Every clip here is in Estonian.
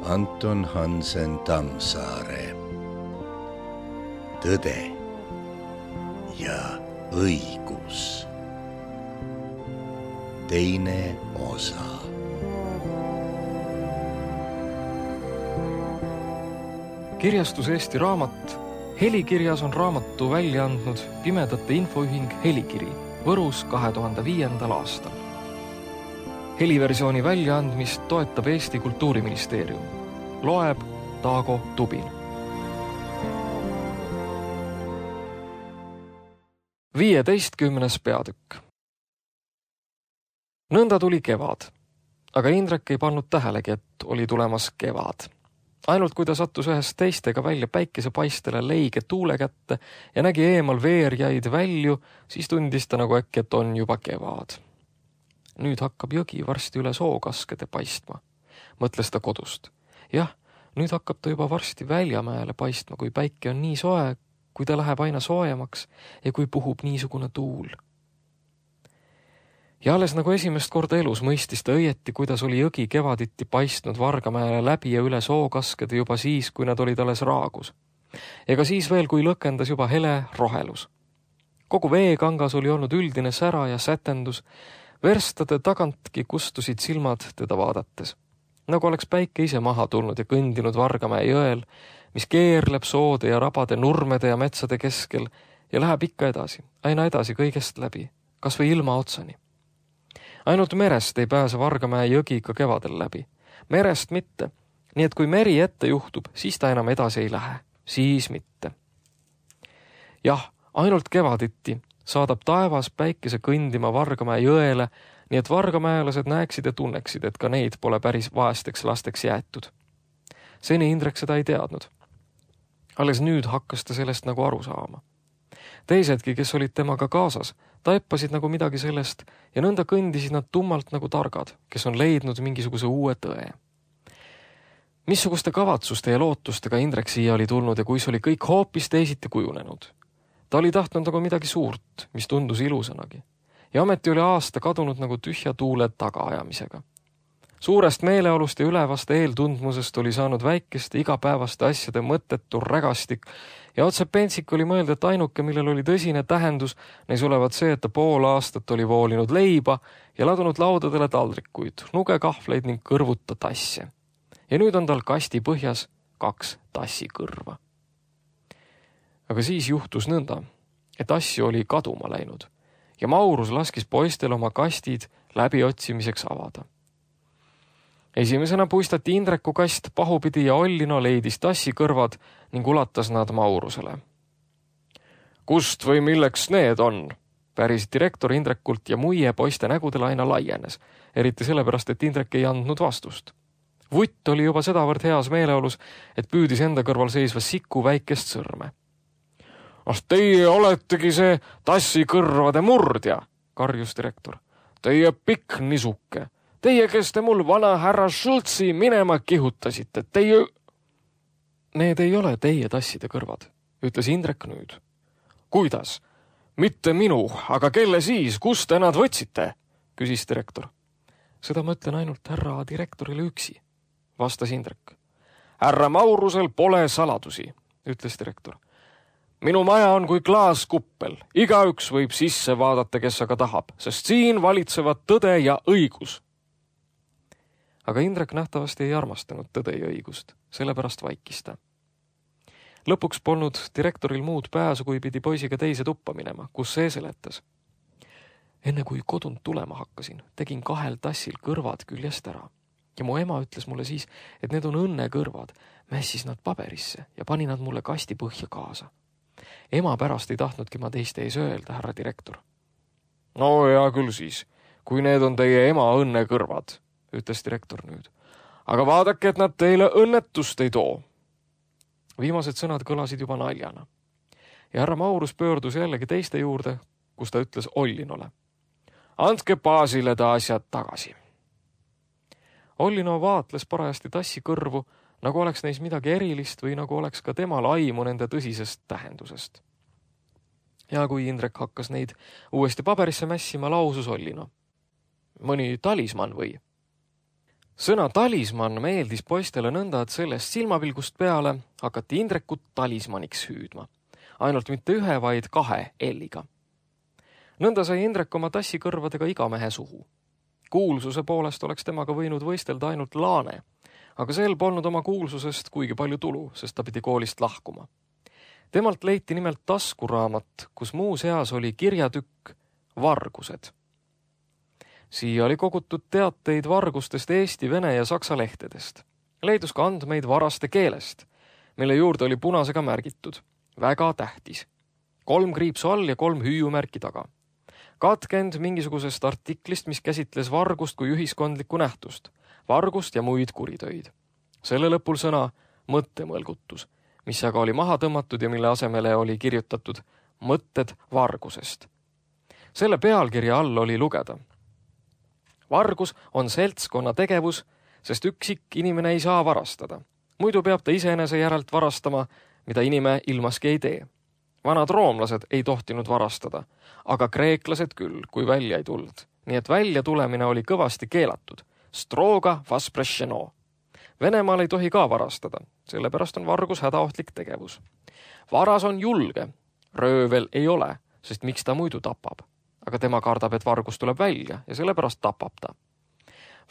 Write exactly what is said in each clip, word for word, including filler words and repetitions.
Anton Hansen Tammsaare. Tõde ja õigus. Teine osa. Kirjastus Eesti Raamat. Helikirjas on raamatu välja andnud Pimedate Infoühing Helikiri Võrus kahe tuhande viiendal aastal. Heliversiooni väljaandmist toetab Eesti Kultuuriministeerium. Loeb Taago Tubin. viieteistkümnes peatükk. Nõnda tuli kevad, aga Indrek ei pannud tähelegi, et oli tulemas kevad. Ainult kui ta sattus ühest teistega välja päikesepaistele leige tuule kätte ja nägi eemal veerjaid välju, siis tundis ta nagu äkki, et on juba kevad. Nüüd hakkab jõgi varsti üle sookaskede paistma, mõtles ta kodust. Jah, nüüd hakkab ta juba varsti Väljamäele paistma, kui päike on nii soe, kui ta läheb aina soojemaks ja kui puhub niisugune tuul. Ja alles nagu esimest korda elus mõistis ta õieti, kuidas oli jõgi kevaditi paistnud Vargamäele läbi ja üle sookaskede juba siis, kui nad olid alles raagus. Ega siis veel, kui lõkendas juba hele rohelus. Kogu veekangas oli olnud üldine sära ja sätendus, verstade tagantki kustusid silmad teda vaadates. Nagu oleks päike ise maha tulnud ja kõndinud Vargamäe jõel, mis keerleb soode ja rabade, nurmede ja metsade keskel ja läheb ikka edasi, aina edasi kõigest läbi, kas või ilma otsani. Ainult merest ei pääse Vargamäe jõgi ikka kevadel läbi. Merest mitte, nii et kui meri ette juhtub, siis ta enam edasi ei lähe, siis mitte. Jah, ainult kevaditi saadab taevas päikese kõndima Vargamäe jõele, nii et vargamäelased näeksid ja tunneksid, et ka neid pole päris vaesteks lasteks jäetud. Seni Indrek seda ei teadnud. Alles nüüd hakkas ta sellest nagu aru saama. Teisedki, kes olid temaga kaasas, taipasid nagu midagi sellest ja nõnda kõndisid nad tummalt nagu targad, kes on leidnud mingisuguse uue tõe. Missuguste kavatsuste ja lootustega Indrek siia oli tulnud ja kuis oli kõik hoopis teisiti kujunenud. Ta oli tahtnud nagu midagi suurt, mis tundus ilusanagi. Ja ometi oli aasta kadunud nagu tühja tuule tagaajamisega. Suurest meeleolust ja ülevast eeltundmusest oli saanud väikeste igapäevaste asjade mõttetu rägastik ja otse pentsik oli mõelda, et ainuke, millel oli tõsine tähendus, neis olevat see, et ta pool aastat oli voolinud leiba ja ladunud laudadele taldrikuid, nugekahvleid ning kõrvuta tasse. Ja nüüd on tal kasti põhjas kaks tassikõrva. Aga siis juhtus nõnda, et asju oli kaduma läinud ja Maurus laskis poistel oma kastid läbiotsimiseks avada. Esimesena puistati Indreku kast pahupidi ja Ollino leidis tassikõrvad ning ulatas nad Maurusele. Kust või milleks need on? Päris direktor Indrekult ja muie poiste nägudele aina laienes, eriti sellepärast, et Indrek ei andnud vastust. Vutt oli juba sedavõrd heas meeleolus, et püüdis enda kõrval seisva siku väikest sõrme. Ah, teie oletegi see tassikõrvade murdja, karjus direktor. Teie pikk nisuke. Teie, kes te mul vana härra Schultzi minema kihutasite, teie... Need ei ole teie tasside kõrvad, ütles Indrek nüüd. Kuidas? Mitte minu, aga kelle siis, kust te nad võtsite? Küsis direktor. Seda ma ütlen ainult härra direktorile üksi, vastas Indrek. Härra Maurusel pole saladusi, ütles direktor. Minu maja on kui klaaskuppel, igaüks võib sisse vaadata, kes aga tahab, sest siin valitsevad tõde ja õigus. Aga Indrek nähtavasti ei armastanud tõde ja õigust, sellepärast vaikis ta. Lõpuks polnud direktoril muud pääsu, kui pidi poisiga teise tuppa minema, kus see seletas. Enne kui kodunt tulema hakkasin, tegin kahel tassil kõrvad küljest ära. Ja mu ema ütles mulle siis, et need on õnnekõrvad, mässis nad paberisse ja pani nad mulle kasti põhja kaasa. Ema pärast ei tahtnudki ma teiste ees öelda, härra direktor. No ja küll siis, kui need on teie ema õnnekõrvad, ütles direktor nüüd. Aga vaadake, et nad teile õnnetust ei too. Viimased sõnad kõlasid juba naljana. Ja härra Maurus pöördus jällegi teiste juurde, kus ta ütles Ollinole. Andke baasile ta asjad tagasi. Ollino vaatles parajasti tassi kõrvu, nagu oleks neis midagi erilist või nagu oleks ka temal aimu nende tõsisest tähendusest. Ja kui Indrek hakkas neid uuesti paberisse mässima, lausus Ollino. Mõni talisman või? Sõna talisman meeldis poistele nõnda, et sellest silmapilgust peale hakati Indrekut talismaniks hüüdma. Ainult mitte ühe, vaid kahe L-iga. Nõnda sai Indrek oma tassikõrvadega iga mehe suhu. Kuulsuse poolest oleks temaga võinud võistelda ainult Laane, aga sel polnud oma kuulsusest kuigi palju tulu, sest ta pidi koolist lahkuma. Temalt leiti nimelt taskuraamat, kus muu seas oli kirjatükk Vargused. Siia oli kogutud teateid vargustest Eesti, vene ja saksa lehtedest. Leidus ka andmeid varaste keelest, mille juurde oli punasega märgitud. Väga tähtis. Kolm kriipsu all ja kolm hüüumärki taga. Katkend mingisugusest artiklist, mis käsitles vargust kui ühiskondlikku nähtust, vargust ja muid kuritöid. Selle lõpul sõna mõttemõlgutus, mis aga oli maha tõmmatud ja mille asemele oli kirjutatud mõtted vargusest. Selle pealkirja all oli lugeda. Vargus on seltskonna tegevus, sest üksik inimene ei saa varastada. Muidu peab ta iseenese järelt varastama, mida inime ilmaski ei tee. Vanad roomlased ei tohtinud varastada, aga kreeklased küll, kui välja ei tuld. Nii et välja tulemine oli kõvasti keelatud. Stroga vasprešeno. Venemaal ei tohi ka varastada, sellepärast on vargus hädaohtlik tegevus. Varas on julge, röövel ei ole, sest miks ta muidu tapab. Aga tema kardab, et vargus tuleb välja ja sellepärast tapab ta.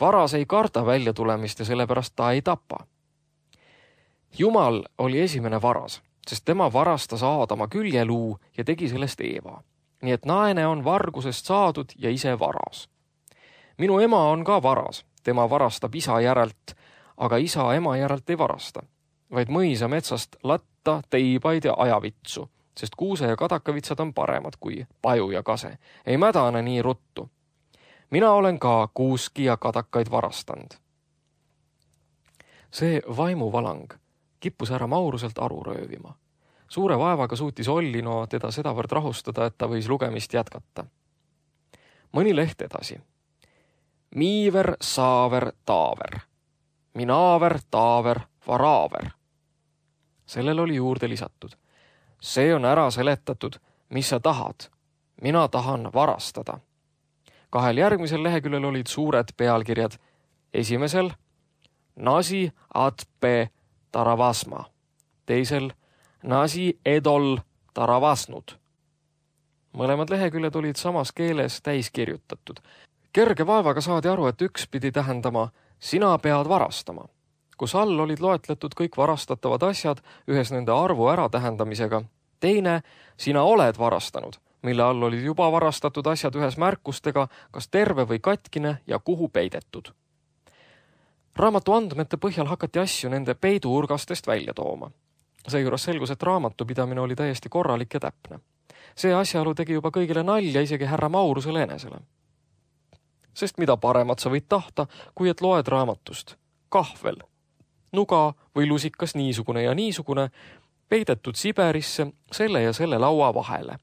Varas ei karda välja tulemist ja sellepärast ta ei tapa. Jumal oli esimene varas, sest tema varastas Aadama küljeluu ja tegi sellest Eeva. Nii et naine on vargusest saadud ja ise varas. Minu ema on ka varas, tema varastab isa järelt, aga isa ema järelt ei varasta, vaid mõisa metsast latta, teibaid ja ajavitsu, sest kuuse ja kadakavitsad on paremad kui paju ja kase. Ei mädane nii ruttu. Mina olen ka kuuski ja kadakaid varastanud. See vaimuvalang kippus härra Mauruselt aru röövima. Suure vaevaga suutis Ollino teda sedavõrd rahustada, et ta võis lugemist jätkata. Mõni leht edasi. Miiver, saaver, taaver. Minaaver, taaver, varaaver. Sellel oli juurde lisatud. See on ära seletatud, mis sa tahad. Mina tahan varastada. Kahel järgmisel leheküljel olid suured pealkirjad. Esimesel Nasi atpe taravasma. Teisel Nasi edol taravasnud. Mõlemad leheküljed olid samas keeles täis kirjutatud. Kerge vaevaga saadi aru, et üks pidi tähendama sina pead varastama, kus all olid loetletud kõik varastatavad asjad ühes nende arvu ära tähendamisega. Teine, sina oled varastanud, mille all olid juba varastatud asjad ühes märkustega, kas terve või katkine ja kuhu peidetud. Raamatu andmete põhjal hakati asju nende peiduurgastest välja tooma. Seejuures selgus, et raamatupidamine oli täiesti korralik ja täpne. See asjaolu tegi juba kõigile nalja, isegi härra Maurusele enesele. Sest mida paremat sa võid tahta, kui et loed raamatust. Kahvel, nuga või lusikas niisugune ja niisugune, peidetud Siberisse selle ja selle laua vahele.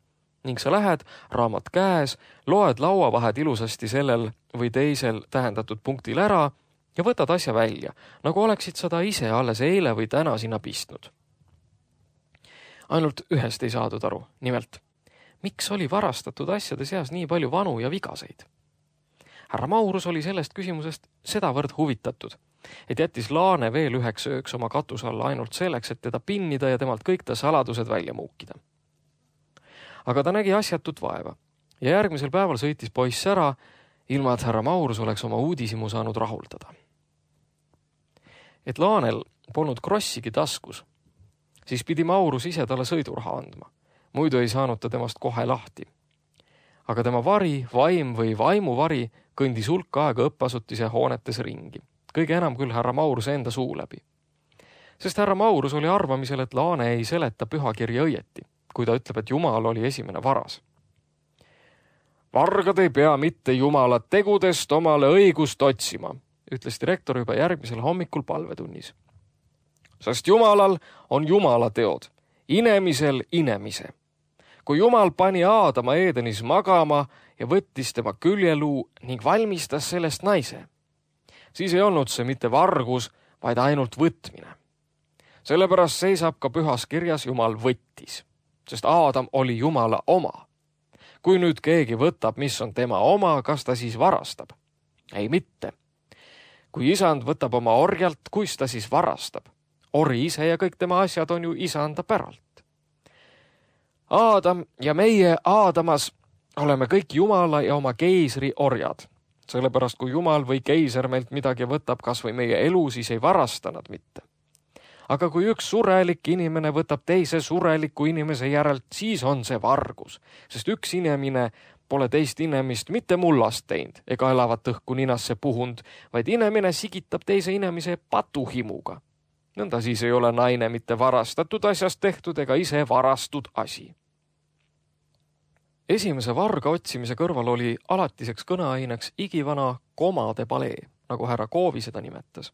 Ning sa lähed, raamat käes, loed lauavahed ilusasti sellel või teisel tähendatud punktil ära ja võtad asja välja, nagu oleksid seda ise alles eile või täna sinna pistnud. Ainult ühest ei saadud aru, nimelt, miks oli varastatud asjade seas nii palju vanu ja vigaseid? Härra Maurus oli sellest küsimusest sedavõrd huvitatud, et jättis Laane veel üheks ööks oma katus alla ainult selleks, et teda pinnida ja temalt kõik ta saladused välja muukida. Aga ta nägi asjatut vaeva ja järgmisel päeval sõitis poiss ära, ilma et härra Maurus oleks oma uudisimu saanud rahuldada. Et Laanel polnud krossigi taskus, siis pidi Maurus ise talle sõiduraha andma. Muidu ei saanud ta temast kohe lahti. Aga tema vari, vaim või vaimuvari kõndis hulk aega õppasutise hoonetes ringi. Kõige enam küll härra Mauruse enda suu läbi. Sest härra Maurus oli arvamisel, et Laane ei seleta pühakirja õieti, kui ta ütleb, et Jumal oli esimene varas. Vargad ei pea mitte Jumala tegudest omale õigust otsima, ütles direktor juba järgmisel hommikul palvetunnis. Sest Jumalal on Jumala teod, inemisel inemise. Kui Jumal pani Aadama Edenis magama ja võttis tema küljeluu ning valmistas sellest naise, siis ei olnud see mitte vargus, vaid ainult võtmine. Sellepärast seisab ka pühas kirjas Jumal võttis, sest Aadam oli Jumala oma. Kui nüüd keegi võtab, mis on tema oma, kas ta siis varastab? Ei mitte. Kui isand võtab oma orjalt, kuis ta siis varastab? Ori ise ja kõik tema asjad on ju isanda päralt. Aadam ja meie Aadamas oleme kõik Jumala ja oma keisri orjad. Sellepärast, kui Jumal või keiser meilt midagi võtab, kas või meie elu, siis ei varasta nad mitte. Aga kui üks surelik inimene võtab teise sureliku inimese järelt, siis on see vargus, sest üks inimene pole teist inimest mitte mullast teinud ega elavat õhku ninasse puhund, vaid inimene sigitab teise inimese patuhimuga. Nõnda siis ei ole naine mitte varastatud asjast tehtud ega ise varastud asi. Esimese varga otsimise kõrval oli alatiseks kõneaineks igivana komade palee, nagu härra Koovi seda nimetas.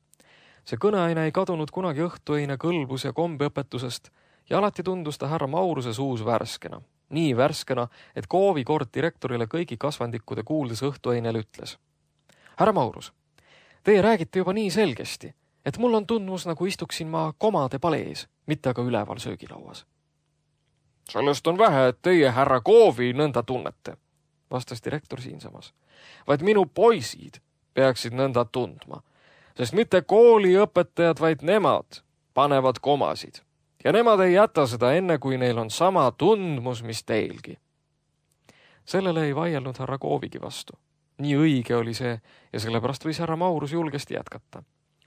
See kõneaine ei kadunud kunagi õhtuöine kõlbus ja kombeõpetusest ja alati tundus ta härra Mauruse suus värskena. Nii värskena, et Koovi kord direktorile kõigi kasvandikude kuuldes õhtuöinel ütles. Härra Maurus, teie räägite juba nii selgesti, et mul on tundmus, nagu istuksin ma komade palees, mitte aga üleval söögilauas. Sellest on vähe, et teie härra Koovi nõnda tunnete, vastas direktor siinsamas. Vaid minu poisid peaksid nõnda tundma, sest mitte kooliõpetajad, vaid nemad panevad komasid. Ja nemad ei jäta seda enne, kui neil on sama tundmus, mis teilgi. Sellele ei vaielnud härra Koovigi vastu. Nii õige oli see ja sellepärast võis härra Maurus julgesti jätkata.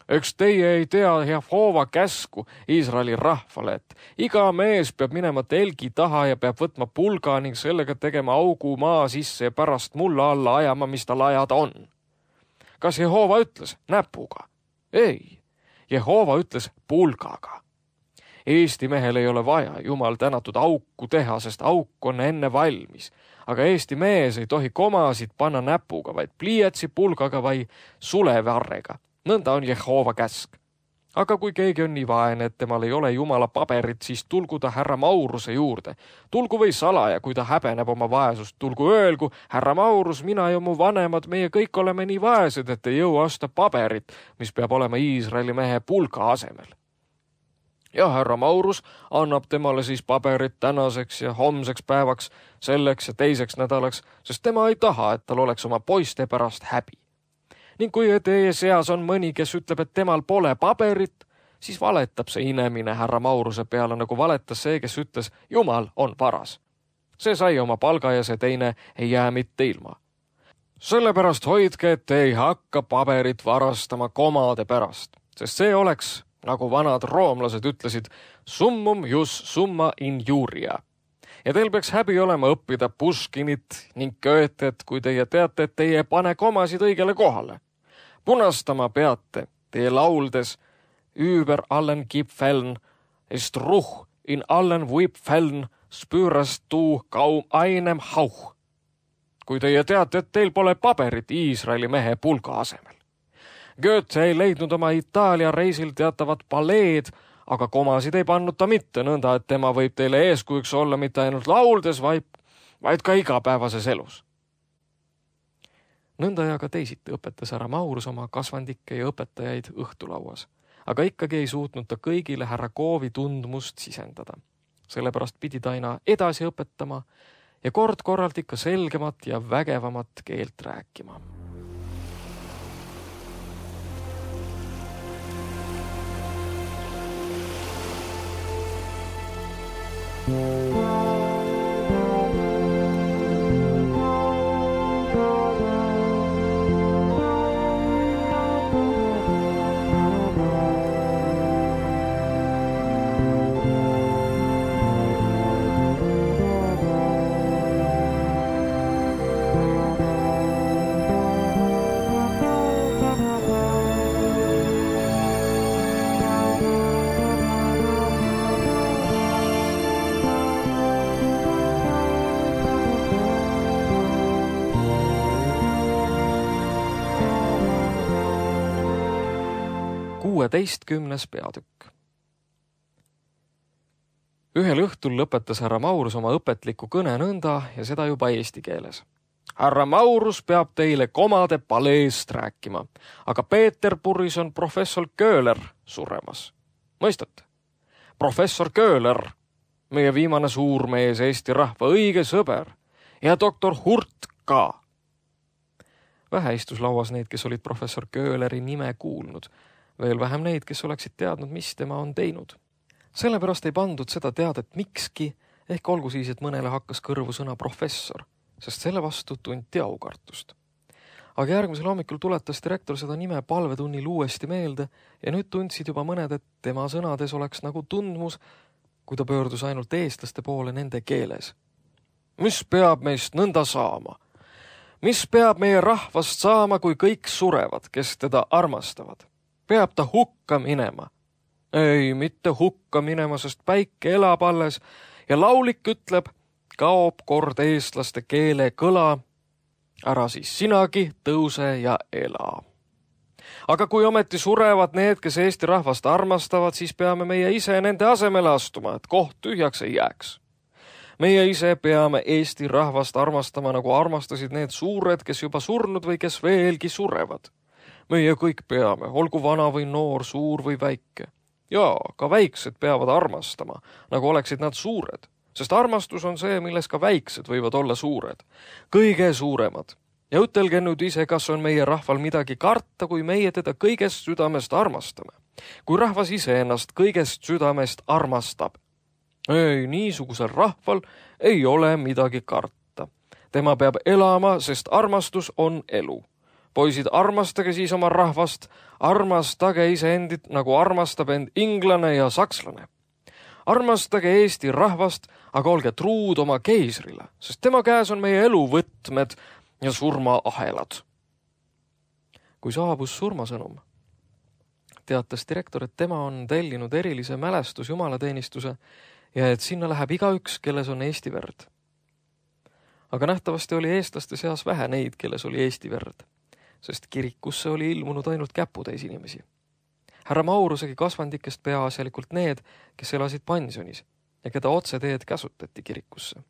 Eks teie ei tea Jehova käsku Iisraeli rahvale, et iga mees peab minema telgi taha ja peab võtma pulga ning sellega tegema augu maa sisse ja pärast mulla alla ajama, mis tal ajada on. Kas Jehova ütles näpuga? Ei, Jehova ütles pulgaga. Eesti mehel ei ole vaja Jumal tänatud auku teha, sest auk on enne valmis. Aga Eesti mees ei tohi komasid panna näpuga, vaid pliiatsi pulgaga või sulevarrega. Nõnda on Jehova käsk. Aga kui keegi on nii vaene, et temal ei ole Jumala paberit, siis tulgu ta härra Mauruse juurde. Tulgu või salaja, kui ta häbeneb oma vaesust. Tulgu öelgu, härra Maurus, mina ja mu vanemad, meie kõik oleme nii vaesed, et ei jõua osta paberit, mis peab olema Iisraeli mehe pulga asemel. Ja härra Maurus annab temale siis paberit tänaseks ja homseks päevaks, selleks ja teiseks nädalaks, sest tema ei taha, et tal oleks oma poiste pärast häbi. Ning kui teie seas on mõni, kes ütleb, et temal pole paberit, siis valetab see inemine härra Mauruse peale, nagu valetas see, kes ütles, Jumal on varas. See sai oma palga ja see teine ei jää mitte ilma. Sellepärast hoidke, et te ei hakka paberit varastama komade pärast, sest see oleks, nagu vanad roomlased ütlesid, summum jus summa injuria. Ja teil peaks häbi olema õppida Puškinit ning Goethet, kui teie teate, et teie pane komasid õigele kohale. Punastama peate teie lauldes über allen Gipfeln, ist ruh in allen Wipfeln spürast du kaum einem hauch. Kui teie teate, et teil pole paberit Iisraeli mehe pulga asemel. Goethe ei leidnud oma Itaalia reisil teatavat paleed, aga komasid ei pannud ta mitte nõnda, et tema võib teile eeskujuks olla mitte ainult lauldes, vaid, vaid ka igapäevases elus. Nõnda ja ka teisiti õpetas härra Maurus oma kasvandikke ja õpetajaid õhtulauas, aga ikkagi ei suutnud ta kõigile härra Koovi tundmust sisendada. Sellepärast pidi ta aina edasi õpetama ja kord-korralt ikka selgemat ja vägevamat keelt rääkima. kuueteistkümnes peatükk. Ühel õhtul lõpetas härra Maurus oma õpetliku kõne nõnda ja seda juba eesti keeles. Härra Maurus peab teile komade paleest rääkima, aga Peterburis on professor Köhler suremas. Mõistate? Professor Köhler, meie viimane suurmees Eesti rahva õige sõber ja doktor Hurt ka. Vähe istus lauas neid, kes olid professor Köhleri nime kuulnud. Veel vähem neid, kes oleksid teadnud, mis tema on teinud. Sellepärast ei pandud seda teadet mikski, ehk olgu siis, et mõnele hakkas kõrvu sõna professor, sest selle vastu tunti aukartust. Aga järgmisel hommikul tuletas direktor seda nime palvetunnil uuesti meelde ja nüüd tundsid juba mõned, et tema sõnades oleks nagu tundmus, kui ta pöördus ainult eestlaste poole nende keeles. Mis peab meist nõnda saama? Mis peab meie rahvast saama, kui kõik surevad, kes teda armastavad? Peab ta hukka minema? Ei, mitte hukka minema, sest päike elab alles ja laulik ütleb, kaob kord eestlaste keele kõla, ära siis sinagi tõuse ja ela. Aga kui ometi surevad need, kes Eesti rahvast armastavad, siis peame meie ise nende asemele astuma, et koht tühjaks ei jääks. Meie ise peame Eesti rahvast armastama, nagu armastasid need suured, kes juba surnud või kes veelgi surevad. Meie kõik peame, olgu vana või noor, suur või väike. Ja, ka väiksed peavad armastama, nagu oleksid nad suured. Sest armastus on see, milles ka väiksed võivad olla suured. Kõige suuremad. Ja ütelge nüüd ise, kas on meie rahval midagi karta, kui meie teda kõigest südamest armastame. Kui rahvas ise ennast kõigest südamest armastab. Ei, niisugusel rahval ei ole midagi karta. Tema peab elama, sest armastus on elu. Poisid, armastage siis oma rahvast, armastage iseendit, nagu armastab end inglane ja sakslane. Armastage Eesti rahvast, aga olge truud oma keisrile, sest tema käes on meie eluvõtmed ja surmaahelad. Kui saabus surmasõnum, teatas direktor, et tema on tellinud erilise mälestus jumalateenistuse ja et sinna läheb igaüks, kelles on Eesti verd. Aga nähtavasti oli eestlaste seas vähe neid, kelles oli Eesti verd, sest kirikusse oli ilmunud ainult käputäis inimesi. Härra Maurusegi kasvandikest peaasjalikult need, kes elasid pensionis ja keda otseteed käsutati kirikusse.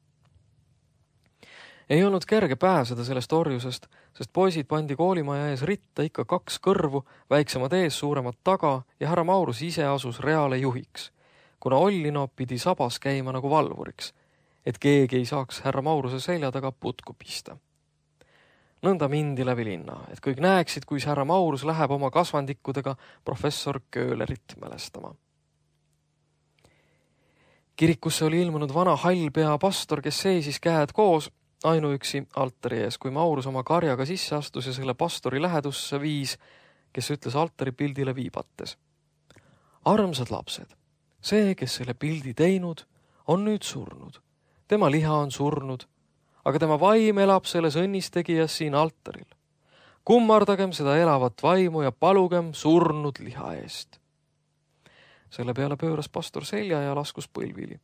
Ei olnud kerge pääseda sellest orjusest, sest poisid pandi koolimaja ees ritta ikka kaks kõrvu, väiksemad ees, suuremad taga ja härra Maurus ise asus reale juhiks, kuna Ollino pidi sabas käima nagu valvuriks, et keegi ei saaks härra Mauruse selja taga putku pista. Nõnda mindi läbi linna, et kõik näeksid, kui härra Maurus läheb oma kasvandikkudega professor Köhlerit mälestama. Kirikusse oli ilmunud vana hallpea pastor, kes seisis käed koos ainuüksi altari ees, kui Maurus oma karjaga sisse astus ja selle pastori lähedusse viis, kes ütles altari pildile viibates. Armsad lapsed, see, kes selle pildi teinud, on nüüd surnud. Tema liha on surnud, aga tema vaim elab selles õnnistegijas siin altaril. Kummardagem seda elavat vaimu ja palugem surnud liha eest. Selle peale pööras pastor selja ja laskus põlvili.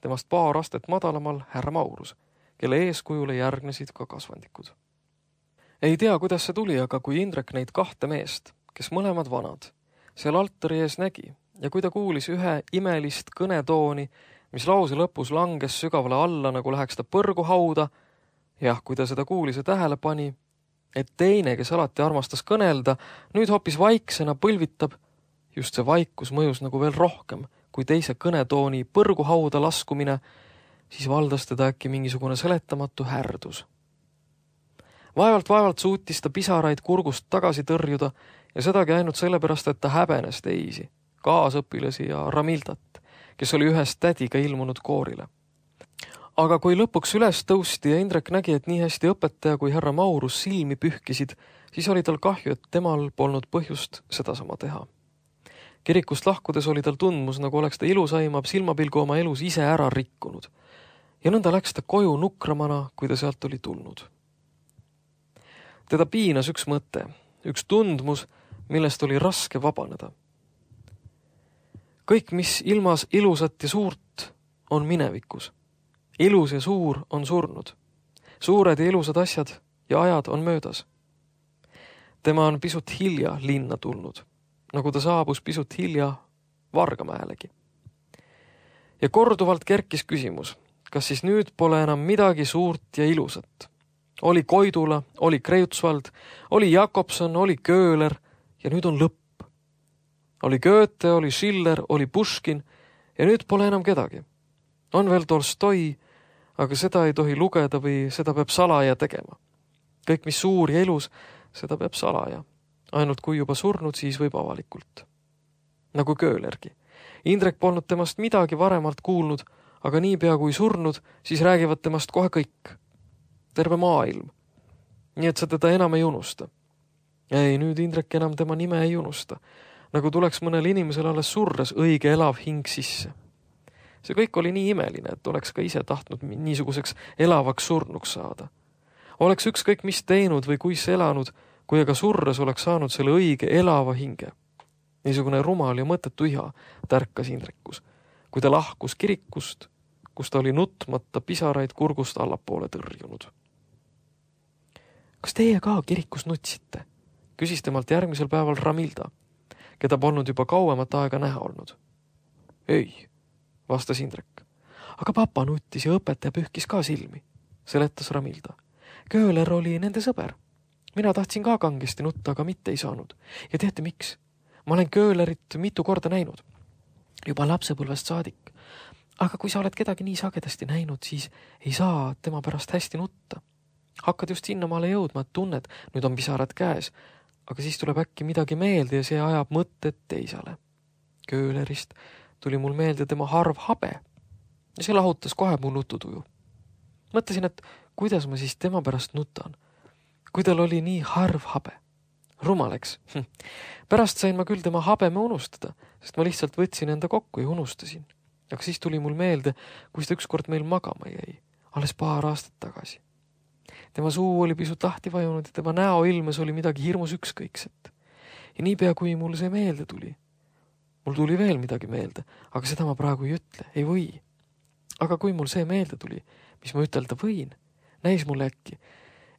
Temast paar astet madalamal härra Maurus, kelle eeskujule järgnesid ka kasvandikud. Ei tea, kuidas see tuli, aga kui Indrek neid kahte meest, kes mõlemad vanad, seal altari ees nägi ja kui ta kuulis ühe imelist kõnetooni, mis lause lõpus langes sügavale alla, nagu läheks ta põrgu hauda, jah, kui ta seda kuulis ja tähele pani, et teine, kes alati armastas kõnelda, nüüd hoopis vaiksena põlvitab, just see vaikus mõjus nagu veel rohkem, kui teise kõnetooni põrgu hauda laskumine, siis valdas teda äkki mingisugune seletamatu härdus. Vaevalt-vaevalt suutis ta pisaraid kurgust tagasi tõrjuda ja sedagi ainult sellepärast, et ta häbenes teisi, kaasõpilasi ja Ramildat, kes oli ühest tädiga ilmunud koorile. Aga kui lõpuks üles tõusti ja Indrek nägi, et nii hästi õpetaja kui härra Maurus silmi pühkisid, siis oli tal kahju, et temal polnud põhjust sedasama teha. Kirikust lahkudes oli tal tundmus, nagu oleks ta ilusaima silmapilgu oma elus ise ära rikkunud. Ja nõnda läks ta koju nukramana, kui ta sealt oli tulnud. Teda piinas üks mõte, üks tundmus, millest oli raske vabaneda. Kõik, mis ilmas ilusat ja suurt, on minevikus. Ilus ja suur on surnud. Suured ja ilusad asjad ja ajad on möödas. Tema on pisut hilja linna tulnud, nagu ta saabus pisut hilja Vargamäelegi. Ja korduvalt kerkis küsimus, kas siis nüüd pole enam midagi suurt ja ilusat. Oli Koidula, oli Kreutzwald, oli Jakobson, oli Köhler ja nüüd on lõpp. Oli Goethe, oli Schiller, oli Puškin ja nüüd pole enam kedagi. On veel Tolstoi, aga seda ei tohi lugeda või seda peab salaja tegema. kõik, mis suur ja elus, seda peab salaja. Ainult kui juba surnud, siis võib avalikult. Nagu Köölergi. Indrek polnud temast midagi varemalt kuulnud, aga niipea kui surnud, siis räägivad temast kohe kõik. Terve maailm. Nii et sa teda enam ei unusta. Ei, nüüd Indrek enam tema nime ei unusta. Nagu tuleks mõnel inimesel alles surres õige elav hing sisse. See kõik oli nii imeline, et oleks ka ise tahtnud niisuguseks elavaks surnuks saada. Oleks ükskõik mis teinud või kuis elanud, kui aga surres oleks saanud selle õige elava hinge. Niisugune rumal ja mõttetu iha tärkas Indrekus, kui ta lahkus kirikust, kus ta oli nutmata pisaraid kurgust allapoole tõrjunud. Kas teie ka kirikus nutsite? Küsis temalt järgmisel päeval Ramilda, keda polnud juba kauemat aega näha olnud. Ei, vastas Indrek. Aga papa nuttis ja õpetaja pühkis ka silmi, seletas Ramilda. Kööler oli nende sõber. Mina tahtsin ka kangesti nutta, aga mitte ei saanud. Ja teate miks? Ma olen Köölerit mitu korda näinud. Juba lapsepõlvest saadik. Aga kui sa oled kedagi nii sagedasti näinud, siis ei saa tema pärast hästi nutta. Hakkad just sinnamaale jõudma, et tunned, nüüd on pisarad käes, aga siis tuleb äkki midagi meelde ja see ajab mõtted teisale. Köölerist tuli mul meelde tema harv habe ja see lahutas kohe mu nututuju. Mõtlesin, et kuidas ma siis tema pärast nutan, kui tal oli nii harv habe. Rumaleks. Pärast sain ma küll tema habeme unustada, sest ma lihtsalt võtsin enda kokku ja unustasin. Aga siis tuli mul meelde, kui ta ükskord meil magama jäi, alles paar aastat tagasi. Tema suu oli pisut lahti vajunud ja tema näo ilmes oli midagi hirmus ükskõikset. Ja niipea, kui mul see meelde tuli, mul tuli veel midagi meelde, aga seda ma praegu ei ütle, ei või. Aga kui mul see meelde tuli, mis ma ütelda võin, näis mulle äkki,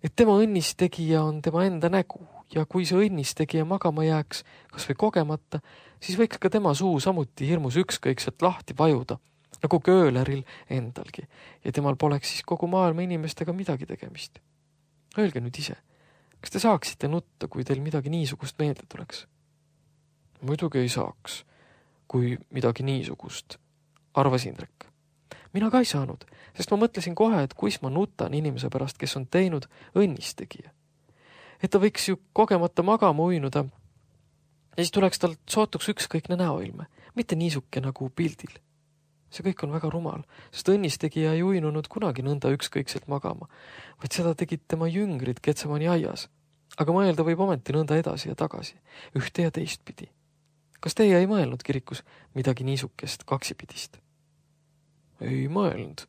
et tema õnnistegija on tema enda nägu ja kui see õnnistegija magama jääks, kas või kogemata, siis võiks ka tema suu samuti hirmus ükskõikselt lahti vajuda, nagu Kööleril endalgi, ja temal poleks siis kogu maailma inimestega midagi tegemist. Öelge nüüd ise, kas te saaksite nutta, kui teil midagi niisugust meelde tuleks? Muidugi ei saaks, kui midagi niisugust, arvas Indrek. Mina ka ei saanud, sest ma mõtlesin kohe, et kuis ma nutan inimese pärast, kes on teinud õnnistegija. Et ta võiks ju kogemata magama uinuda ja siis tuleks tal sootuks ükskõikne näoilme, mitte niisuke nagu pildil. See kõik on väga rumal, sest õnnistegija ei uinunud kunagi nõnda ükskõikselt magama, vaid seda tegid tema jüngrid Getsemani aias. Aga mõelda võib ometi nõnda edasi ja tagasi, ühte ja teist pidi. Kas teie ei mõelnud kirikus midagi niisukest kaksipidist? Ei mõelnud,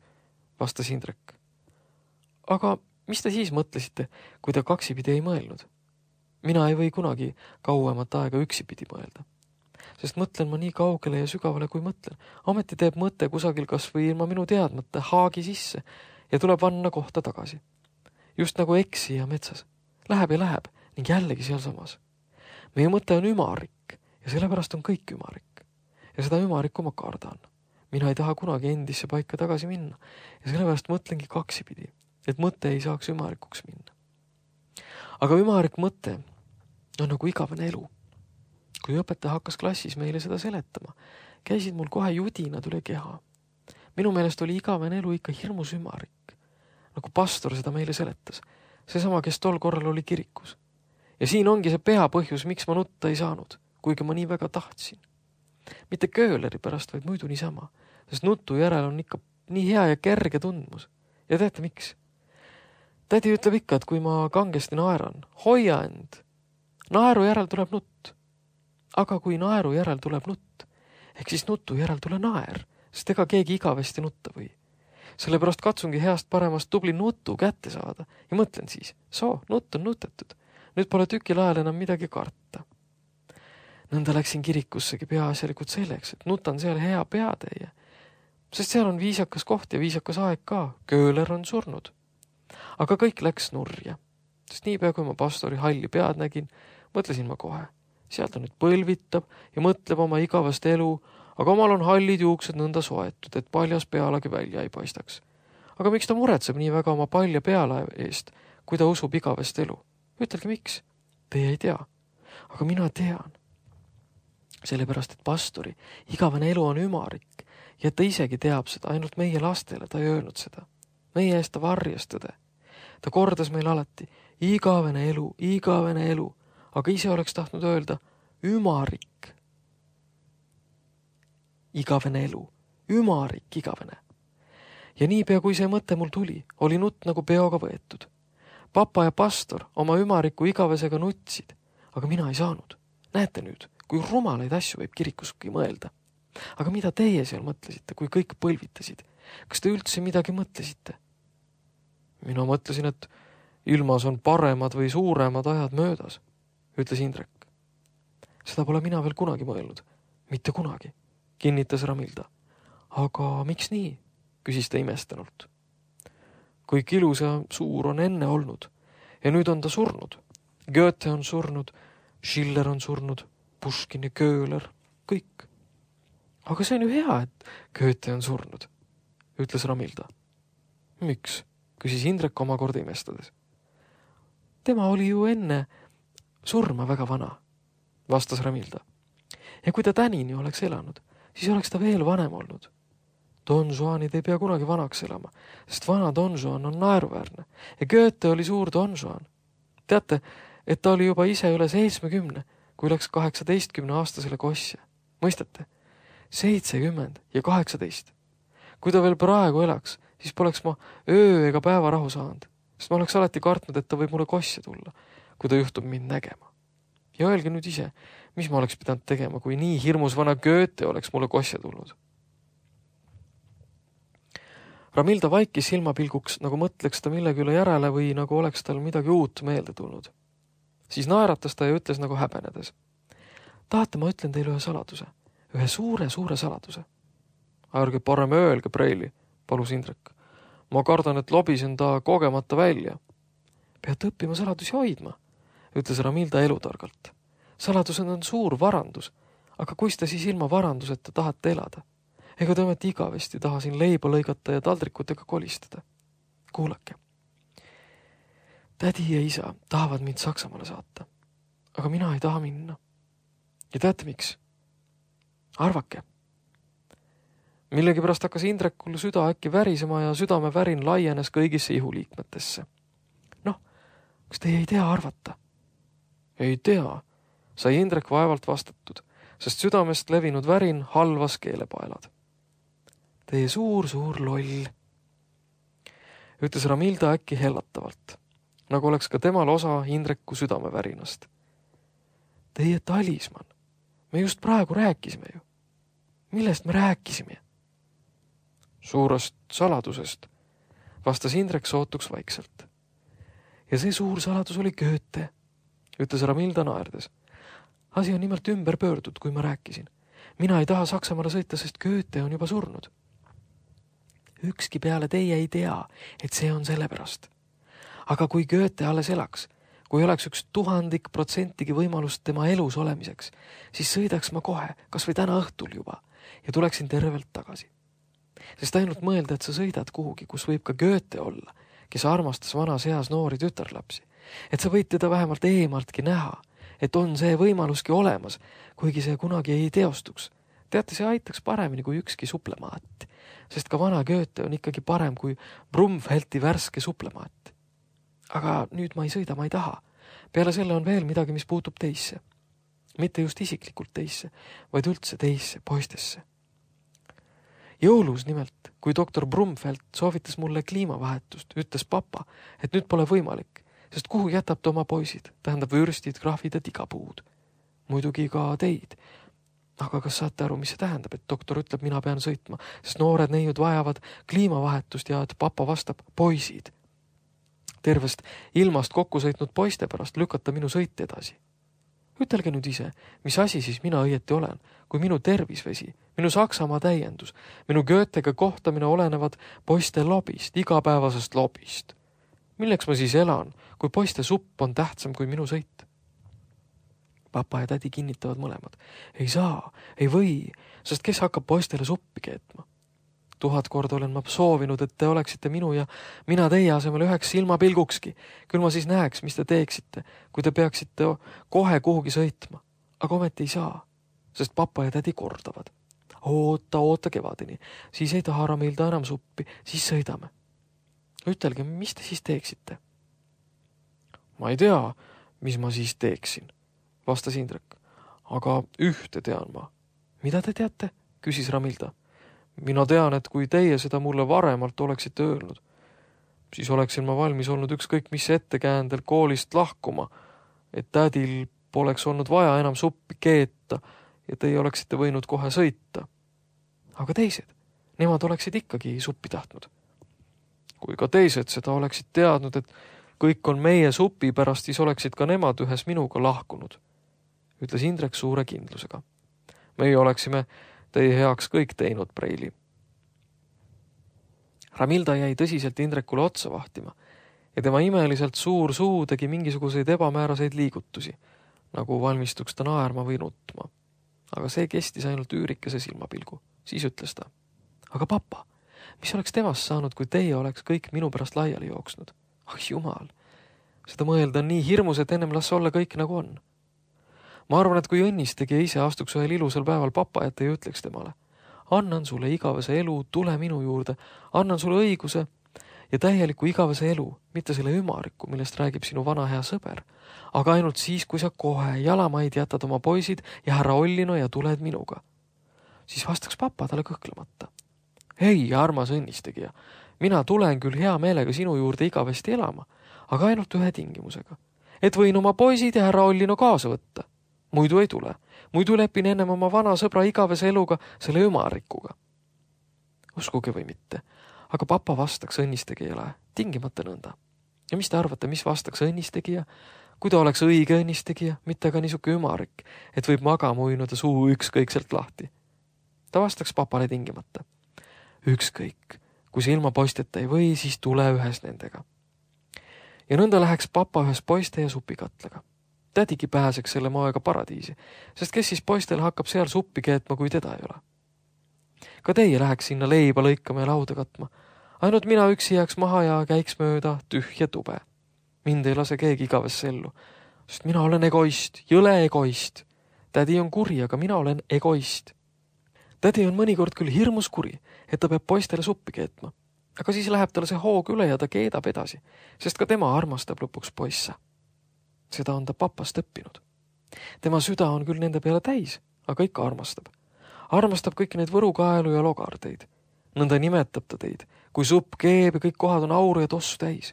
vastas Indrek. Aga mis te siis mõtlesite, kui te kaksipidi ei mõelnud? Mina ei või kunagi kauemat aega üksipidi mõelda. Sest mõtlen ma nii kaugele ja sügavale, kui mõtlen. Ometi teeb mõte kusagil kas või ilma minu teadmata haagi sisse ja tuleb vanna kohta tagasi. Just nagu eksija metsas. Läheb ja läheb ning jällegi sealsamas. Meie mõte on ümarik ja sellepärast on kõik ümarik. Ja seda ümarikku ma kardan. Mina ei taha kunagi endisse paika tagasi minna ja sellepärast mõtlengi kaksipidi, et mõte ei saaks ümarikuks minna. Aga ümarik mõte on nagu igavene elu. Kui õpetaja hakkas klassis meile seda seletama, käisid mul kohe judinad üle keha. Minu meelest oli igavene elu ikka hirmus ümarik, nagu pastor seda meile seletas. Seesama, kes tol korral oli kirikus. Ja siin ongi see pea põhjus, miks ma nutta ei saanud, kuigi ma nii väga tahtsin. Mitte Kööleri pärast, vaid muidu niisama, sest nutu järel on ikka nii hea ja kerge tundmus. Ja teate miks? Tädi ütleb ikka, et kui ma kangesti naeran, hoia end. Naeru järel tuleb nutt. Aga kui naeru järel tuleb nutt, ehk siis nutu järel tule naer, sest ega keegi igavesti nutta või. Sellepärast katsungi heast paremast tubli nutu kätte saada ja mõtlen siis, soo, nutt on nutetud. Nüüd pole tükil ajal enam midagi karta. Nõnda läksin kirikussegi peaasjalikult selleks, et nutan seal hea peatäie, sest seal on viisakas koht ja viisakas aeg ka, Kööler on surnud. Aga kõik läks nurja, sest niipea kui ma pastori halli pead nägin, mõtlesin ma kohe. Seal ta nüüd põlvitab ja mõtleb oma igavast elu, aga omal on hallid juuksed nõnda soetud, et paljas pealagi välja ei paistaks. Aga miks ta muretseb nii väga oma palja peala eest, kui ta usub igavest elu? Ütelge miks? Teie ei tea. Aga mina tean. Sellepärast, et pastori igavene elu on ümarik ja ta isegi teab seda, ainult meie lastele ta ei öelnud seda. Meie eest ta varjas tõde. ta kordas meil alati igavene elu, igavene elu, aga ise oleks tahtnud öelda ümarik. Igavene elu, ümarik igavene. Ja niipea kui see mõte mul tuli, oli nutt nagu peoga võetud. Papa ja pastor oma ümariku igavesega nutsid, aga mina ei saanud. Näete nüüd, kui rumalaid asju võib kirikuski mõelda. Aga mida teie seal mõtlesite, kui kõik põlvitasid? Kas te üldse midagi mõtlesite? Mina mõtlesin, et ilmas on paremad või suuremad ajad möödas, ütles Indrek. Seda pole mina veel kunagi mõelnud. Mitte kunagi, kinnitas Ramilda. Aga miks nii? Küsis ta imestanult. Kõik ilus ja suur on enne olnud ja nüüd on ta surnud. Goethe on surnud, Schiller on surnud, Puškin ja Köhler, kõik. Aga see on ju hea, et Goethe on surnud, ütles Ramilda. Miks? Küsis Indrek omakorda imestades. Tema oli ju enne surma väga vana, vastas Ramilda. Ja kui ta tänini oleks elanud, siis oleks ta veel vanem olnud. Don Juanid ei pea kunagi vanaks elama, sest vana Don Juan on naeruväärne ja Goethe oli suur Don Juan. Teate, et ta oli juba ise üle seitsmekümne, kui läks kaheksateistkümne aastasele kosse. Mõistate? seitsekümmend ja kaheksateist. Kui ta veel praegu elaks, siis poleks ma öö ega päeva rahu saanud, sest ma oleks alati kartnud, et ta võib mulle kosse tulla, kui ta juhtub mind nägema. Ja öelge nüüd ise, mis ma oleks pidanud tegema, kui nii hirmus vana Goethe oleks mulle kosse tulnud. Ramilda vaikis silmapilguks, nagu mõtleks ta millegi üle järele või nagu oleks tal midagi uut meelde tulnud. Siis naeratas ta ja ütles nagu häbenedes. Tahate, ma ütlen teile ühe saladuse, ühe suure, suure saladuse. Ärge parem öelge, Preili, palus Indrek. Ma kardan, et lobisen ta kogemata välja. Pead õppima saladusi hoidma, ütles Ramilda elutargalt. Saladused on suur varandus, aga kuis te siis ilma varanduseta tahate elada? Ega te ometi igavesti taha siin leiba lõigata ja taldrikutega kolistada. Kuulake. Tädi ja isa tahavad mind Saksamaale saata, aga mina ei taha minna. Ja teate miks? Arvake. Millegi pärast hakkas Indrekul süda äkki värisema ja südame värin laienes kõigisse ihuliikmetesse. Noh, kas teie ei tea arvata? Ei tea, sai Indrek vaevalt vastatud, sest südamest levinud värin halvas keelepaelad. Teie suur, suur loll, ütles Ramilda äkki hellatavalt, nagu oleks ka temal osa Indreku südamevärinast. Teie talisman, me just praegu rääkisime ju. Millest me rääkisime? Suurest saladusest, vastas Indrek sootuks vaikselt. Ja see suur saladus oli Goethe, ütles Ramilda naerdes. Asi on nimelt ümber pöördud, kui ma rääkisin. Mina ei taha Saksamaale sõita, sest Goethe on juba surnud. Ükski peale teie ei tea, et see on sellepärast. Aga kui Goethe alles elaks, kui oleks üks tuhandik protsentigi võimalust tema elus olemiseks, siis sõidaks ma kohe, kas või täna õhtul juba, ja tuleksin tervelt tagasi. Sest ainult mõelda, et sa sõidad kuhugi, kus võib ka Goethe olla, kes armastas vanas eas noori tütarlapsi, et sa võid teda vähemalt eemaltki näha, et on see võimaluski olemas, kuigi see kunagi ei teostuks. Teate, see aitaks paremini kui ükski suplemaat, sest ka vana Goethe on ikkagi parem kui Brumfelti värske suplemaat. Aga nüüd ma ei sõida, ma ei taha. Peale selle on veel midagi, mis puutub teisse. Mitte just isiklikult teisse, vaid üldse teisse, poistesse. Jõulus nimelt, kui doktor Brumfeld soovitas mulle kliimavahetust, ütles papa, et nüüd pole võimalik, sest kuhu jätab ta oma poisid, tähendab vürstid, krahvid ja tigapuud. Muidugi ka teid. Aga kas saate aru, mis see tähendab, et doktor ütleb, mina pean sõitma, sest noored neiud vajavad kliimavahetust ja et papa vastab poisid. Tervest ilmast kokku sõitnud poiste pärast lükata minu sõit edasi. Ütelge nüüd ise, mis asi siis mina õieti olen, kui minu tervisvesi, minu Saksamaa täiendus, minu Goethega kohtamine olenevad poiste lobist, igapäevasest lobist. Milleks ma siis elan, kui poiste supp on tähtsam kui minu sõit? Papa ja tädi kinnitavad mõlemad. Ei saa, ei või, sest kes hakkab poistele suppi keetma? Tuhat korda olen ma soovinud, et te oleksite minu ja mina teie asemel üheks silmapilgukski. Küll ma siis näeks, mis te teeksite, kui te peaksite kohe kuhugi sõitma. Aga ometi ei saa, sest papa ja tädi kordavad. Oota, oota kevadini, siis ei taha Ramilda enam suppi, siis sõidame. Ütelge, mis te siis teeksite? Ma ei tea, mis ma siis teeksin, vastas Indrek. Aga ühte tean ma. Mida te teate? Küsis Ramilda. Mina tean, et kui teie seda mulle varemalt oleksite öelnud, siis oleksin ma valmis olnud ükskõik mis ettekäändel koolist lahkuma, et tädil poleks olnud vaja enam suppi keeta ja teie oleksite võinud kohe sõita. Aga teised, nemad oleksid ikkagi suppi tahtnud. Kui ka teised seda oleksid teadnud, et kõik on meie supi pärast, siis oleksid ka nemad ühes minuga lahkunud, ütles Indrek suure kindlusega. Meie oleksime teie heaks kõik teinud, Preili. Ramilda jäi tõsiselt Indrekule otsa vahtima ja tema imeliselt suur suu tegi mingisuguseid ebamääraseid liigutusi, nagu valmistuks ta naerma või nutma. Aga see kestis ainult üürikese silmapilgu. Siis ütles ta. Aga papa, mis oleks temast saanud, kui teie oleks kõik minu pärast laiali jooksnud? Ah jumal, seda mõelda on nii hirmus, et ennem las olla kõik nagu on. Ma arvan, et kui õnnistegija ise astuks ühel ilusal päeval papa ette ja ütleks temale, annan sulle igavese elu, tule minu juurde, annan sulle õiguse ja täieliku igavese elu, mitte selle ümariku, millest räägib sinu vana hea sõber, aga ainult siis, kui sa kohe jalamaid jätad oma poisid ja härra Ollino ja tuled minuga. Siis vastaks papa talle kõhklemata. Ei, armas õnnistegija, mina tulen küll hea meelega sinu juurde igavesti elama, aga ainult ühe tingimusega, et võin oma poisid ja härra Ollino kaasa võtta. Muidu ei tule. Muidu lepin ennem oma vana sõbra igavese eluga selle ümarikuga. Uskuge või mitte, aga papa vastaks õnnistegijale tingimata nõnda. Ja mis te arvate, mis vastaks õnnistegija? Kui ta oleks õige õnnistegija, mitte aga niisuke ümarik, et võib magama uinuda suu ükskõikselt lahti. Ta vastaks papale tingimata. Ükskõik, kui see ilma poisteta ei või, siis tule ühes nendega. Ja nõnda läheks papa ühes poiste ja supikatlaga. Tädigi pääseks selle moega paradiisi, sest kes siis poistel hakkab seal suppi keetma, kui teda ei ole. Ka teie läheks sinna leiba lõikama ja lauda katma. Ainult mina üksi jääks maha ja käiks mööda tühja tube. Mind ei lase keegi igavesse ellu, sest mina olen egoist, jõle egoist. Tädi on kuri, aga mina olen egoist. Tädi on mõnikord küll hirmus kuri, et ta peab poistele suppi keetma, aga siis läheb talle see hoog üle ja ta keedab edasi, sest ka tema armastab lõpuks poisse. Seda on ta papast õppinud. Tema süda on küll nende peale täis, aga ikka armastab. Armastab kõiki neid võrukaelu ja logardeid. Nõnda nimetab ta teid, kui supp keeb ja kõik kohad on auru ja tossu täis.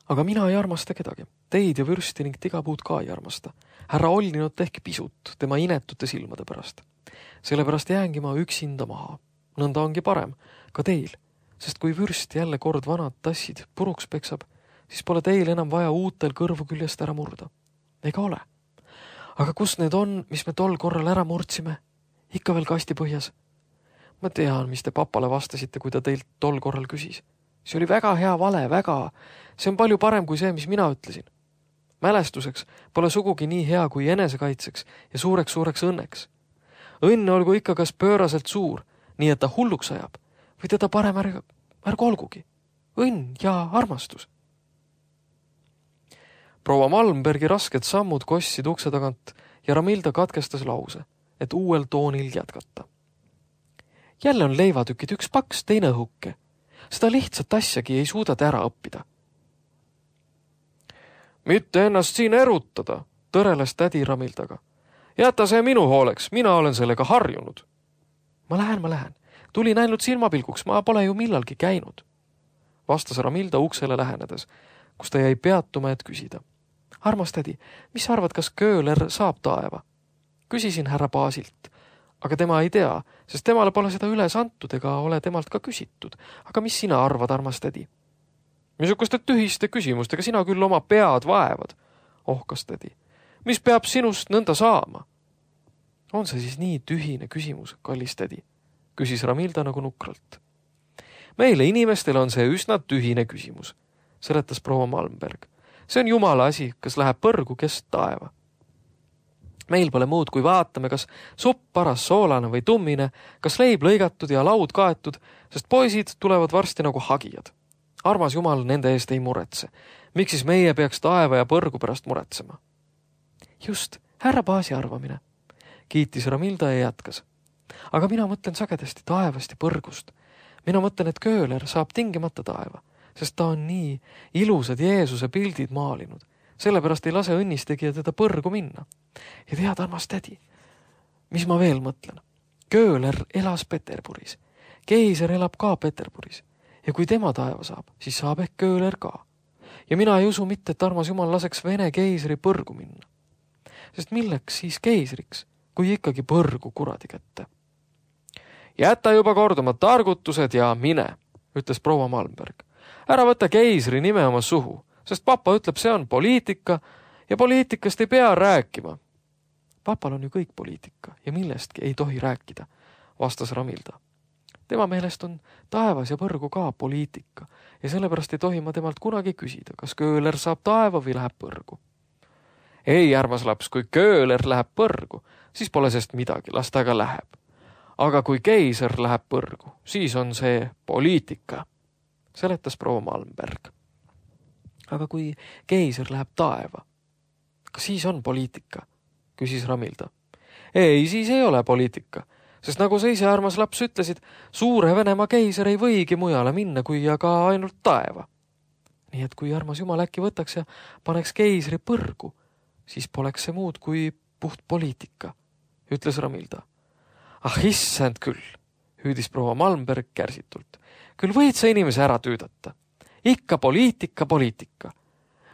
Aga mina ei armasta kedagi. Teid ja vürsti ning tigapuud ka ei armasta. Härra Ollinot ehk pisut tema inetute silmade pärast. Sellepärast jäängi ma üksinda maha. Nõnda ongi parem, ka teil, sest kui vürst jälle kord vanad tassid puruks peksab, siis pole teil enam vaja uutel kõrvu küljest ära murda. Ega ole. Aga kus need on, mis me tol korral ära murdsime? Ikka veel kasti põhjas. Ma tean, mis te papale vastasite, kui ta teilt tol korral küsis. See oli väga hea vale, väga. See on palju parem kui see, mis mina ütlesin. Mälestuseks pole sugugi nii hea kui enesekaitseks ja suureks-suureks õnneks. Õnn olgu ikka kas pööraselt suur, nii et ta hulluks ajab, või teda parem ärg, ärg olgugi. Õnn ja armastus. Proua Malmbergi rasked sammud kossid ukse tagant ja Ramilda katkestas lause, et uuel toonil jätkata. Jälle on leivatükid üks paks, teine õhuke. Seda lihtsat asjagi ei suuda te ära õppida. Mitte ennast siin erutada, tõreles tädi Ramildaga. Jäta see minu hooleks, mina olen sellega harjunud. Ma lähen, ma lähen. Tulin ainult silmapilguks, ma pole ju millalgi käinud. Vastas Ramilda uksele lähenedes, kus ta jäi peatuma, et küsida. Armas tädi, mis arvad, kas Kööler saab taeva? Küsisin härra Baasilt, aga tema ei tea, sest temale pole seda üles antud ega ole temalt ka küsitud. Aga mis sina arvad, armas tädi? Missuguste tühiste küsimustega sina küll oma pead vaevad, ohkas tädi. Mis peab sinust nõnda saama? On see siis nii tühine küsimus, kallis tädi? Küsis Ramilda nagu nukralt. Meile inimestele on see üsna tühine küsimus, seletas proua Malmberg. See on jumala asi, kas läheb põrgu, kes taeva. Meil pole muud, kui vaatame, kas supp paras soolane või tummine, kas leib lõigatud ja laud kaetud, sest poisid tulevad varsti nagu hagijad. Armas jumal nende eest ei muretse. Miks siis meie peaks taeva ja põrgu pärast muretsema? Just, härra Baasi arvamine, kiitis Ramilda ja jätkas. Aga mina mõtlen sagedasti taevast ja põrgust. Mina mõtlen, et Kööler saab tingimata taeva, sest ta on nii ilusad Jeesuse pildid maalinud. sellepärast ei lase õnnistegija teda põrgu minna. Ja tead, armas tädi, mis ma veel mõtlen? Kööler elas Peterburis. Keiser elab ka Peterburis. Ja kui tema taeva saab, siis saab ehk Kööler ka. Ja mina ei usu mitte, et armas jumal laseks Vene keisri põrgu minna. Sest milleks siis keisriks, kui ikkagi põrgu kuradi kätte? Jäta juba korduma targutused ja mine, ütles proua Malmberg. Ära võta keisri nime oma suhu, sest papa ütleb, see on poliitika ja poliitikast ei pea rääkima. Papal on ju kõik poliitika ja millestki ei tohi rääkida, vastas Ramilda. Tema meelest on taevas ja põrgu ka poliitika ja sellepärast ei tohi ma temalt kunagi küsida, kas Kööler saab taeva või läheb põrgu. Ei, armas laps, kui Kööler läheb põrgu, siis pole sest midagi, las ta ka läheb. Aga kui keiser läheb põrgu, siis on see poliitika, seletas proua Malmberg. Aga kui keiser läheb taeva, kas siis on poliitika, küsis Ramilda. Ei, siis ei ole poliitika, sest nagu sa ise, armas laps, ütlesid, suure Venemaa keiser ei võigi mujale minna, kui aga ainult taeva. Nii et kui armas jumal äkki võtaks ja paneks keisri põrgu, siis poleks see muud kui puht poliitika, ütles Ramilda. Ah, issand küll, hüüdis proua Malmberg kärsitult. Küll võid sa inimese ära tüüdata. Ikka poliitika, poliitika.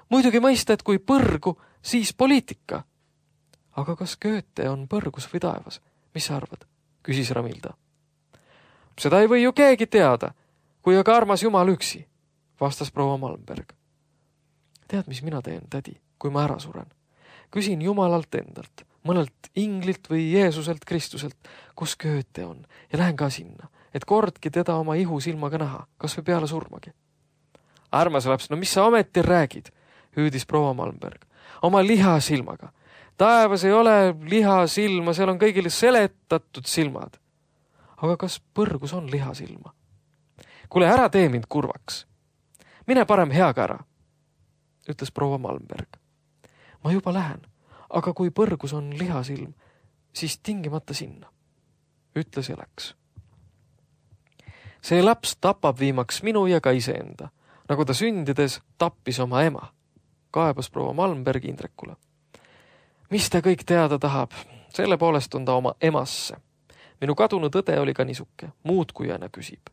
Muidugi mõista, et kui põrgu, siis poliitika. Aga kas Goethe on põrgus või taevas? Mis sa arvad? Küsis Ramilda. Seda ei või ju keegi teada, kui aga armas jumal üksi, vastas proua Malmberg. Tead, mis mina teen, tädi, kui ma ära suren? Küsin jumalalt endalt, mõnelt inglilt või Jeesuselt Kristuselt, kus Goethe on, ja lähen ka sinna, et kordki teda oma ihu silmaga näha, kas või peale surmagi. Armas laps, no mis sa ometi räägid, hüüdis proua Malmberg, oma liha silmaga. Taevas ei ole liha silma, seal on kõigile seletatud silmad. Aga kas põrgus on liha silma? Kuule, ära tee mind kurvaks. Mine parem heaga ära, ütles proua Malmberg. Ma juba lähen, aga kui põrgus on lihasilm, siis tingimata sinna, ütles ja läks. See laps tapab viimaks minu ja ka iseenda, nagu ta sündides tappis oma ema, kaebas proua Malmberg Indrekule. Mis ta kõik teada tahab, selle poolest on ta oma emasse. Minu kadunud õde oli ka nisuke, muud kui aina küsib.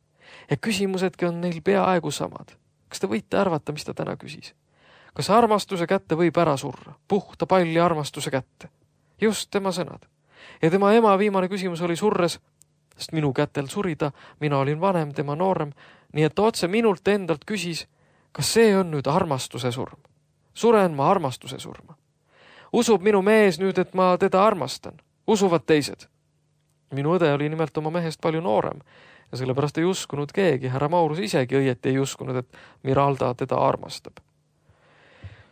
Ja küsimusedki on neil peaaegu samad. Kas te võite arvata, mis ta täna küsis? Kas armastuse kätte võib ära surra? Puhta palli armastuse kätte. Just tema sõnad. Ja tema ema viimane küsimus oli surres, sest minu kätel surida, mina olin vanem, tema noorem, nii et otse minult endalt küsis, kas see on nüüd armastuse surm? Suren ma armastuse surma. Usub minu mees nüüd, et ma teda armastan. Usuvad teised. Minu õde oli nimelt oma mehest palju noorem ja sellepärast ei uskunud keegi. Härra Maurus isegi õieti ei uskunud, et Miralda teda armastab.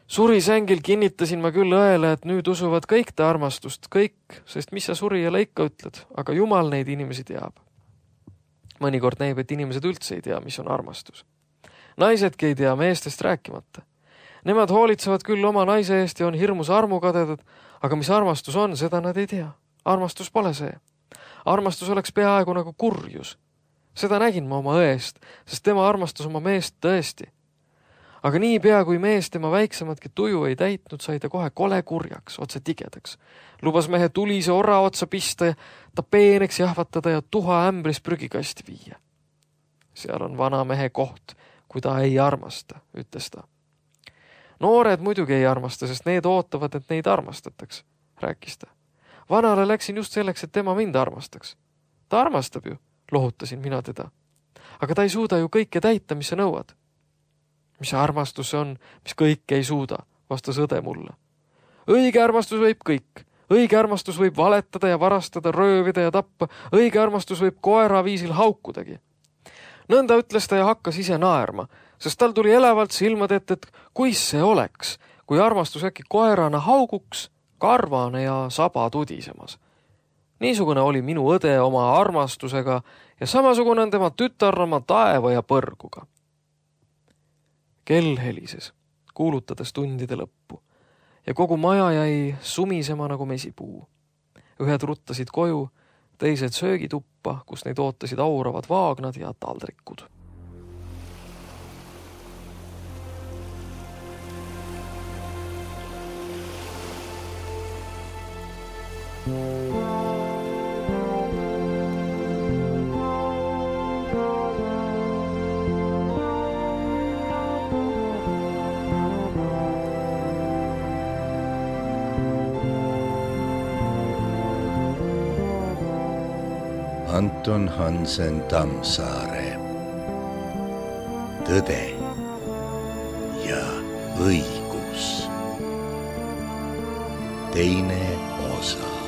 Surisängil kinnitasin ma küll õele, et nüüd usuvad kõik ta armastust, kõik, sest mis sa surijale ikka ütled, aga jumal neid inimesi teab. Mõnikord näib, et inimesed üldse ei tea, mis on armastus. Naisedki ei tea, meestest rääkimata. Nemad hoolitsevad küll oma naise eest ja on hirmus armukadedad, aga mis armastus on, seda nad ei tea. Armastus pole see. Armastus oleks peaaegu nagu kurjus. Seda nägin ma oma õest, sest tema armastas oma meest tõesti. Aga nii pea, kui mees tema väiksematki tuju ei täitnud, sai ta kohe kole kurjaks, otse tigedaks. Lubas mehe tulise orra otsa pista ja ta peeneks jahvatada ja tuha ämbris prügikasti viia. Seal on vana mehe koht, kui ta ei armasta, ütles ta. Noored muidugi ei armasta, sest need ootavad, et neid armastataks, rääkis ta. Vanale läksin just selleks, et tema mind armastaks. Ta armastab ju, lohutasin mina teda. Aga ta ei suuda ju kõike täita, mis sa nõuad. Mis armastus on, mis kõike ei suuda, vastas õde mulle. Õige armastus võib kõik. Õige armastus võib valetada ja varastada, röövida ja tappa. Õige armastus võib koera viisil haukudagi. Nõnda ütles ta ja hakkas ise naerma, sest tal tuli elavalt silmad ette, et kuis see oleks, kui armastus äkki koerana hauguks, karvane ja saba tudisemas. Niisugune oli minu õde oma armastusega ja samasugune on tema tütar oma taeva ja põrguga. Kell helises, kuulutades tundide lõppu ja kogu maja jäi sumisema nagu mesipuu. Ühed ruttasid koju, teised söögituppa, kus neid ootasid auravad vaagnad ja taldrikud. Anton Hansen Tammsaare. Tõde ja õigus. Teine osa.